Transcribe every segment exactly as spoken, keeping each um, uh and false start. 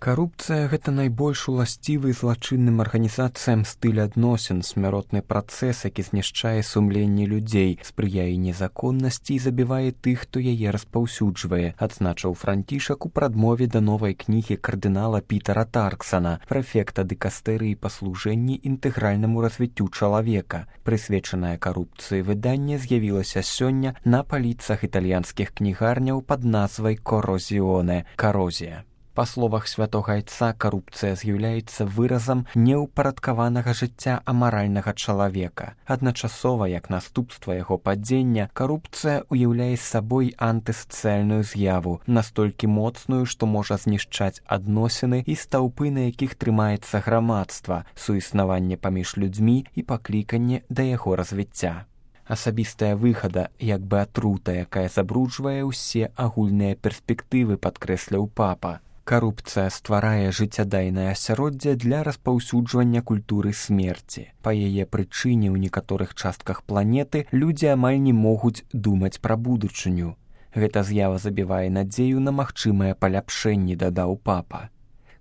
Карупцыя – гэта найбольш уласцівы злачынным арганізацыям стыль адносін, смяротны працэс, які знішчае сумленне людзей, спрыяе незаконнасці і забівае тых, хто яе распаўсюджвае, адзначыў Францішак у прадмове да новай кнігі кардынала Пітера Тарксана, прэфекта дыкастэрыі па служэнні інтэгральнаму развіццю чалавека. Прысвечанае карупцыі выданне з'явілася сёння на паліцах італьянскіх кнігарняў пад назвай «Корозіоне» – «Карозія». Па словах святога айца, карупцыя з'яўляецца выразам неўпарадкаванага жыцця амаральнага чалавека. Адначасова, як наступства яго падзення, карупцыя ўяўляе сабой антысацыяльную з'яву, настолькі моцную, што можа знішчаць адносіны і стаўпы, на якіх трымаецца грамадства, суіснаванне паміж людзьмі і пакліканне да яго развіцця. Асабістая выгада, як бы атрута, якая забруджвае ўсе агульныя перспектывы, падкрэсліў папа. Карупцыя стварае жыццядайнае асяроддзе для распаўсюджвання культуры смерці. Па яе прычыне ў некаторых частках планеты людзі амаль не могуць думаць пра будучыню. Гэта з'ява забівае надзею на магчымыя паляпшэнні, дадаў папа.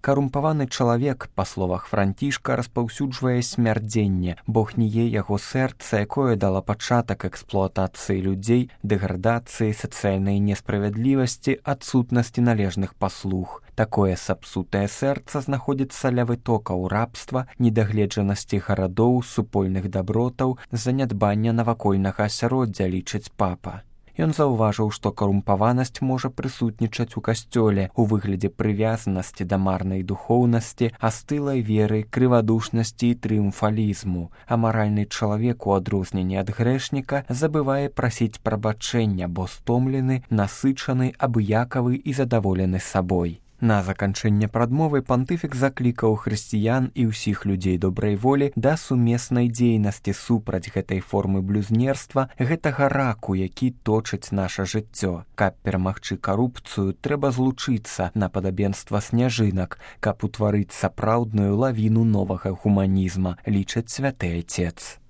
Карумпаваны чалавек, па словах Францішка, распаўсюджвае смярдзенне, бо гніе яго сэрца, якое дала пачатак эксплуатацыі людзей, дэградацыі, сацыяльнай несправядлівасці, адсутнасці належных паслуг. Такое сапсутае сэрца знаходзіцца ля вытокаў рабства, недагледжанасці гарадоў, супольных дабротаў, занядбання навакольнага асяроддзя, лічыць папа. Ён заўважыў, што карумпаванасць можа прысутнічаць у касцёле ў выглядзе прывязанасці да марнай духоўнасці, астылай веры, крывадушнасці і трыумфалізму. Амаральны чалавек, у адрозненне ад грэшніка, забывае прасіць прабачэння, бо стомлены, насычаны, абыякавы і задаволены сабой. На заканчэнне прадмовы пантыфік заклікаў хрысціян і ўсіх людзей добрай волі да сумеснай дзейнасці супраць гэтай формы блюзнерства, гэтага раку, які точыць наша жыццё. Каб перамагчы карупцыю, трэба злучыцца на падабенства сняжынак, каб утварыць сапраўдную лавіну новага гуманізма, лічыць святы айцец.